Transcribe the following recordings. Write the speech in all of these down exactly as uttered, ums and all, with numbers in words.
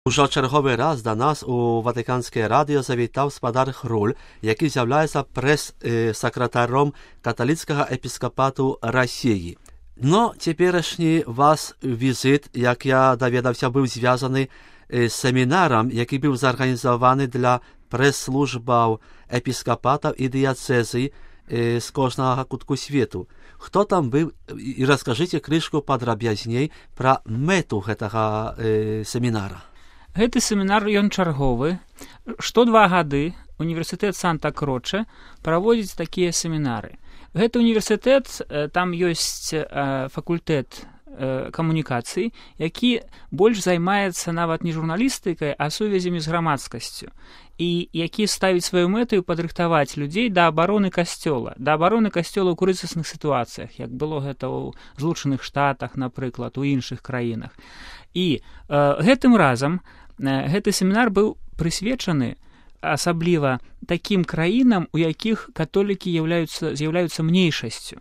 Ужо чарговий раз до нас у Ватиканське радіо завітав спадар Хруль, який з'являється прес-секретарем католицького епіскопату Росії. Но теперішній вас візит, як я довідався, був зв'язаний з семінаром, який був зорганізований для прес-службів епіскопатів і дієцезій з кожного кутку світу. Хто там був? І розкажіть кришку подробязней про мету гэтага э, семінара. Гэты семінар ён чарговы. Што два гады універсітэт Санта-Кроче праводзіць такія семінары. Гэты універсітэт, там ёсць факультэт камунікацыі, які больш займаецца нават не журналістыкай, а сувязямі з грамадскасцю. І які ставіць сваю мэту падрыхтаваць людзей да абароны касцёла, да абароны касцёла ў крызісных сітуацыях, як было гэта ў Злучаных Штатах, напрыклад, у іншых краінах. І э, гэтым разам э, гэты семінар быў прысвечаны асабліва такім краінам, у якіх католікі з'яўляюцца, з'яўляюцца мniejшасцю.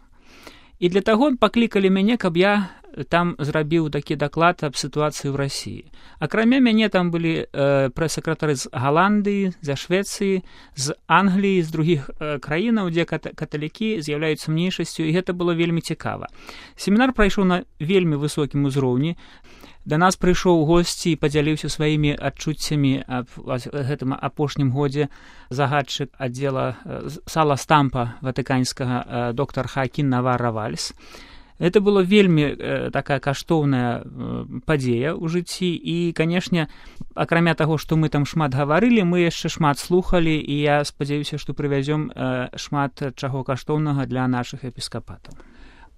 І для таго паклікалі мяне, каб я там зрабіў такі даклад аб сітуацыі ў Расіі. Акрамя мяне там былі э, прэс-сакратары з Галандыі, з Швецыі, з Англіі, з другіх э, краінаў, дзе кат- каталікі з'яўляюцца мniejшасцю, і гэта было вельмі цікава. Семінар прайшоў на вельмі высокім узроўні. Да нас прыйшоў госці і падзяліўся сваімі адчуццямі аб гэтым апошнім годзе загадчык аддзела сала стампа ватыканскага доктар Хаакін Наварра-Вальс. Это было вельмі э, такая каштоўная э, падзея ў жыцці і, канешне, акрамя таго, што мы там шмат гаварылі, мы яшчэ шмат слухалі і я спадзяюся, што прывязём э, шмат чаго каштоўнага для нашых епіскапатаў.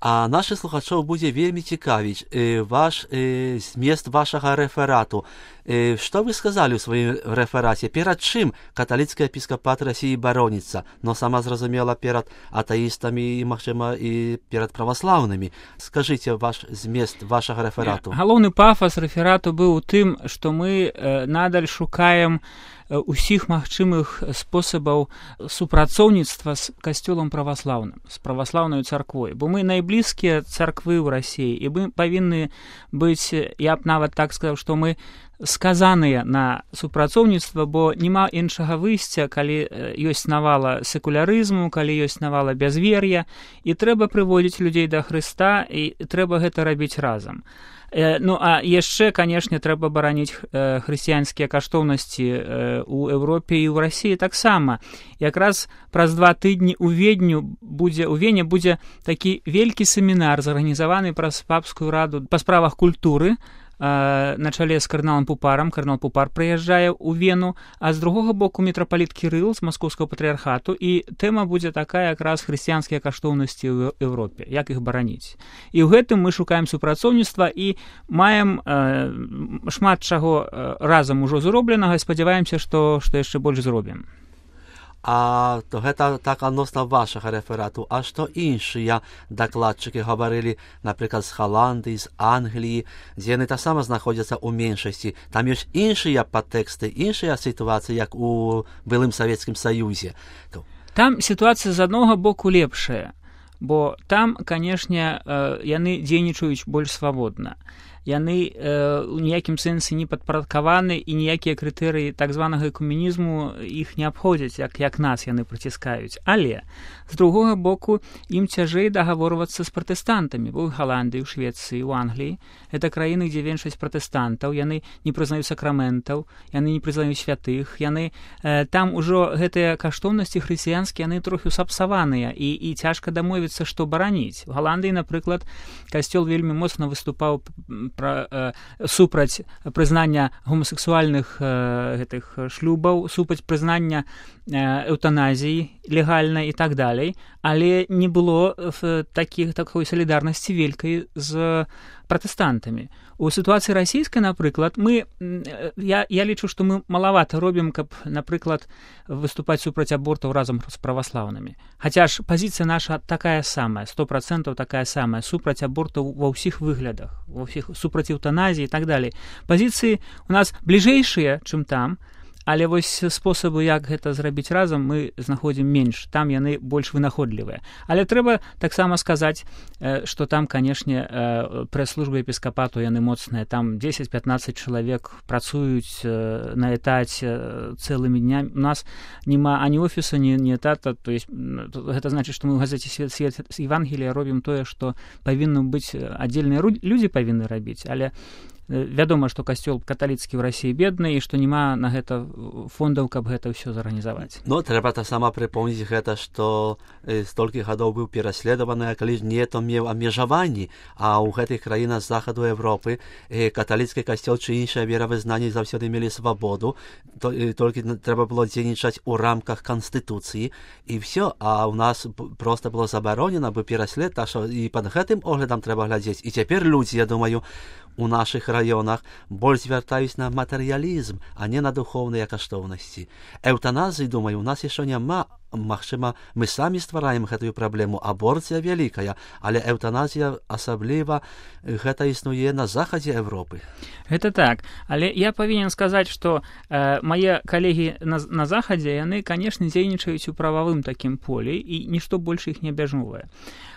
А наших слухачів буде вельми цікавить е, ваш е, зміст вашого реферату. Е, що ви сказали у своєму рефераті? Перед чим католицький епіскопат Росії борониться? Но сама зрозуміла перед атеїстами і, можливо, і перед православними. Скажіть ваш зміст вашого реферату. Галоўны пафас реферату быў у тым, што мы е, надаль шукаем усіх магчымых спосабаў супрацоўніцтва з касцёлам праваслаўным, з праваслаўнай царквой. Бо мы найблізкія царквы ў Расіі, і мы павінны быць, я б нават так сказаў, што мы сказаныя на супрацоўніцтва, бо няма іншага выйсця, калі ёсць навала секулярызму, калі ёсць навала бязвер'я, і трэба прыводзіць людзей да Хрыста, і трэба гэта рабіць разам. Ну, а яшчэ, канешне, трэба бараніць э, хрысціянскія каштоўнасці э, у Еўропе і ў Расіі таксама. Якраз праз два тыдні ў Ведню будзе, у Вене будзе такі вялікі семінар, зарганізаваны праз папскую раду па справах культуры, на чале з кардыналам Пупарам. Кардынал Пупар прыязджае ў Вену, а з другога боку мітрапаліт Кірыл з маскоўскага патрыярхату, і тэма будзе такая якраз хрысціянскія каштоўнасці ў Еўропе, як іх бараніць. І ў гэтым мы шукаем супрацоўніцтва і маем э, шмат чаго разам ужо зробленага і спадзяваемся, што, што яшчэ больш зробім. А то гэта так адносна вашага рэферату. А што іншыя дакладчыкі гаварылі, напрыклад, з Галандыі, з Англіі, дзе яны таксама знаходзяцца ў меншасці. Там ёсць іншыя падтэксты, іншыя сітуацыі, як у былым Савецкім Саюзе. Там сітуацыя з аднаго боку лепшая, бо там, канешне, яны дзейнічаюць больш свабодна. Яны э, у ніякім сэнсе не падпарадкаваны і ніякія крытэрыі так званага экуменізму іх не абходзяць, як, як нас яны прыціскаюць. Але, з другога боку, ім цяжэй дагаворвацца з пратэстантамі, бо ў Галандыі, ў Швецыі, ў Англіі. Гэта краіны, дзе меншасць пратэстантаў, яны не прызнаюць сакраментаў, яны не прызнаюць святых, яны, э, там ужо гэтыя каштоўнасці хрысціянскія, яны трохі сапсаваныя, і, і цяжка дамовіцца, што бараніць. У Галандыі, напрыклад, касцёл вельмі моцна выступаў Пра, э, супраць прызнання гомасексуальных э, гэтых шлюбаў, супраць прызнання э, эўтаназіі легальнай і так далей, але не было в такіх, такой салідарнасці вялікай з пратэстантамі. У сітуацыі расійскай, напрыклад, мы, я, я лічу, што мы малавата робім, каб, напрыклад, выступаць супраць абортаў разам з праваслаўнымі. Хаця ж пазіцыя наша такая самая, сто працэнтаў такая самая, супраць абортаў ва ўсіх выглядах, ва ўсіх, супраць эўтаназіі і так далей. Пазіцыі у нас бліжэйшыя, чым там, але вось спосабы, як гэта зрабіць разам, мы знаходзім менш, там яны больш вынаходлівыя. Але трэба таксама сказаць, што там, канешне, прэс-службы епіскапату яны моцныя, там дзесяць-пятнаццаць чалавек працуюць на этаце цэлымі днямі. У нас няма ані офіса, ні, ні этата, то есть гэта значыць, што мы ў газеце «Свет, свет Евангелія» робім тое, што павінны быць аддзельныя людзі павінны рабіць, але вядома, што касцёл каталіцкі ў Расіі бедны і што няма на гэта фондаў, каб гэта ўсё зарганізаваць. Ну, трэба таксама прыпомніць гэта, што столькі гадоў быў пераследаваны, калі не то меў абмежаванні, а ў гэтых краінах захаду Европы каталіцкі касцёл чи іншыя веравызнанні заўсёды мелі свабоду, толькі трэба было дзейнічаць у рамках канстытуцыі і ўсё, а ў нас проста было забаронена бы пераслед, так што і пад гэтым оглядам трэба глядзець. І цяпер людзі, я думаю, у нашых раёнах больш звяртаюць на матэрыялізм, а не на духоўныя каштоўнасці. Эўтаназіі, думаю, у нас яшчэ няма. Магчыма, мы самі ствараем гэтую праблему. Аборцыя вялікая, але эўтаназія асабліва гэта існуе на захадзе Европы. Гэта так, але я павінен сказаць, што э, мае калегі на, на захадзе, яны, канешне, дзейнічаюць у прававым такім полі, і нішто больш іх не абмяжоўвае.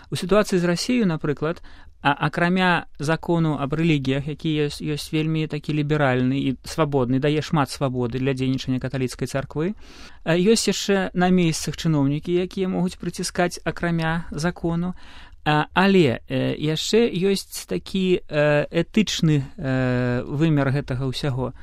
У сітуацыі з Расіяю, напрыклад, а акрамя закону аб рэлігіях, які ёсць, ёсць вельмі такі ліберальны і свабодны, дае шмат свабоды для дзейнічання каталіцкай царквы, ёсць яшчэ на месцах чыноўнікі, якія могуць прыціскаць акрамя закону, але яшчэ ёсць такі этычны вымер гэтага ўсяго.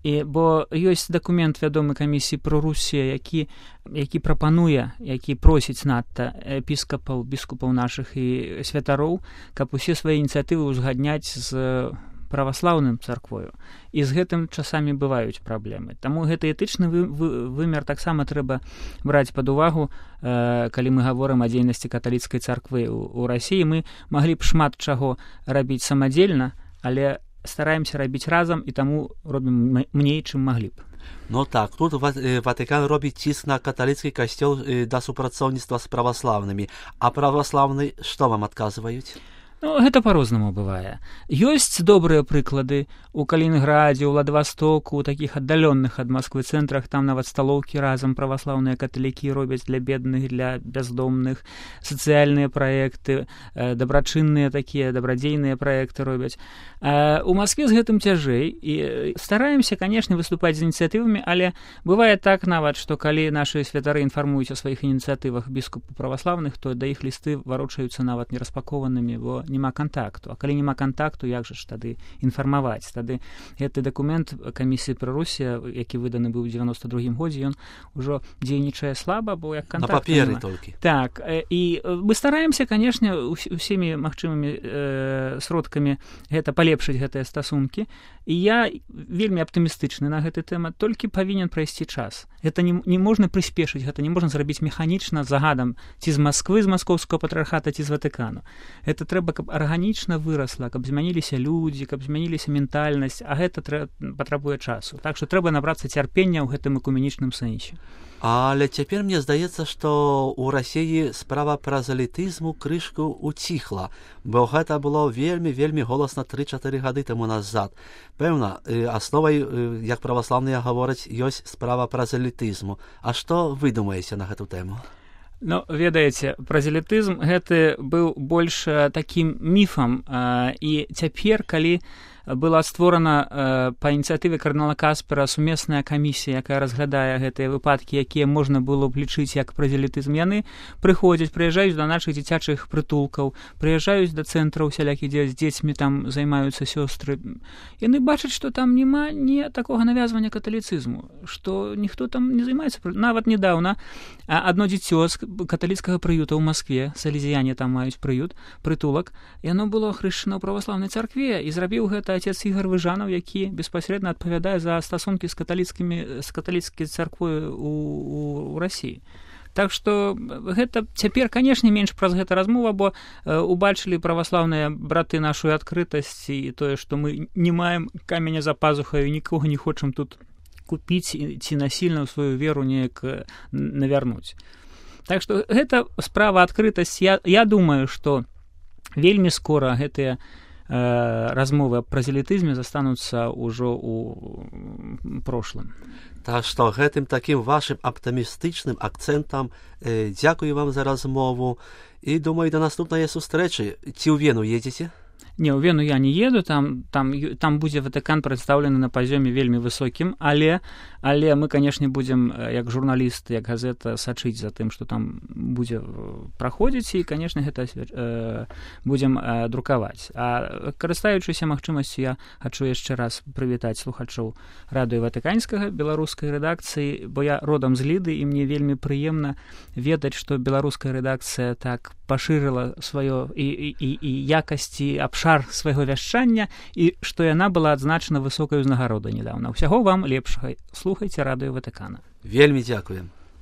І, бо ёсць дакумент вядомы камісіі пра Русію, які, які прапануе, які просіць надта епіскапаў, біскупаў нашых і святароў, каб усе свае ініцыятывы ўзгадняць з праваслаўным царквою. І з гэтым часамі бываюць праблемы. Таму гэты этычны вы, вы, вымер таксама трэба браць пад увагу, э, калі мы гаворым о дзейнасці каталіцкай царквы ў, у Расіі. Мы маглі б шмат чаго рабіць самадзельна, але стараемся рабіць разам і таму робім меней, чым маглі б. Ну так, тут Ватыкан робіць ціск на каталіцкі касцёл да супрацоўніцтва з праваслаўнымі. А праваслаўны што вам адказваюць? Ну, гэта па-рознаму бывае. Ёсць добрыя прыклады у Калінінградзе, у Владывастоку, у такіх аддаленных ад Масквы цэнтрах, там нават сталоўкі разам праваслаўныя каталікі робяць для бедных, для бяздомных, сацыяльныя праекты, дабрачынныя такія, дабрадзейныя праекты робяць. У Маскве з гэтым цяжэй, і стараемся, канешне, выступаць з ініцыятывамі, але бывае так нават, што калі нашы святары інфармуюць о сваіх ініцыятывах біскупаў праваслаўных, то да іх лісты варочаюцца нават нераспакованымі, бо няма контакту. А калі няма контакту, як жа ж тады інфармаваць? Тады гэты дакумент камісіі пра Русію, які выданы быў у дзевяноста другім годзе, ён ужо дзейнічае слаба, бо як контакт. На паперы толькі. Так, і мы стараемся, канешне, усімі магчымымі э, сродкамі гэта палепшыць гэтыя стасункі. І я вельмі аптымістычны на гэты тэма, толькі павінен прайсці час. Гэта не, не можна прыспешыць, гэта не можна зрабіць механічна загадам ці з Масквы, з маскоўскага патрыархата, ці з Ватыкану. Гэта трэба, каб арганічна вырасла, каб змяніліся людзі, каб змяніліся ментальнасць, а гэта трэ... патрабуе часу. Так што трэба набрацца цярпення ў гэтым экуменічным сэнсе. Але цяпер мне здаецца, што ў Расіі справа празелітызму крышку уціхла, бо гэта было вельмі-вельмі голасна тры-чатыры гады таму назад. Пэўна, асновай, як праваслаўныя гавораць, ёсць справа празелітызму. А што вы думаеце на гэту тэму? Ну, ведаеце, празелітызм гэты быў больш такім міфам, і цяпер, калі была створана э, па ініцыятыве кардынала Каспера сумесная камісія, якая разглядае гэтыя выпадкі, якія можна было б лічыць як празелітызм. Яны прыходзяць, прыязджаюць да нашых дзіцячых прытулкаў, прыязджаюць да цэнтраў усялякіх, дзе з дзецьмі там займаюцца сёстры. Яны бачаць, што там няма ні такога навязвання каталіцызму, што ніхто там не займаецца. Нават недаўна адно дзіцё з каталіцкага прыюта ў Маскве, салезіяне там маюць прыют, прытулак, яно было хрышчана ў праваслаўнай царкве, і зрабіў гэта отец Ігор Выжанаў, які беспасрэдна адпавядае за стасункі з каталіцкімі з каталіцкай царквой у, у, у Расіі. Так што гэта цяпер, канешне, менш праз гэта размова, бо э, убачылі праваслаўныя браты нашу адкрытасць і тое, што мы не маем каменя за пазухаю, нікога не хочам тут купіць ці насільна ў сваю веру неяк навярнуць. Так што гэта справа адкрытасць. Я, я думаю, што вельмі скора гэтыя размовы аб празелітызме застануцца ўжо ў прошлым. Так што гэтым такім вашым аптымістычным акцэнтам э, дзякую вам за размову і думаю, да наступнай сустрэчы. Ці ў Вену едзеце? Не, ў Вену я не еду, там, там, там будзе Ватыкан прадстаўлены на пазёме вельмі высокім, але, але мы, канешне, будзем, як журналісты, як газета, сачыць за тым, што там будзе праходзіць, і, канешне, гэта э, будзем э, друкаваць. А карыстаючыся магчымасцю, я хачу яшчэ раз прывітаць слухачоў радыё Ватыканскага, беларускай рэдакцыі, бо я родам з Ліды, і мне вельмі прыемна ведаць, што беларуская рэдакцыя так пашырыла сваё і, і, і, і якасці абшар свайго вяшчання, і што яна была адзначана высокай узнагародай нядаўна. Усяго вам лепшага. Слухайце радыё Ватыкана. Вельмі дзякуем.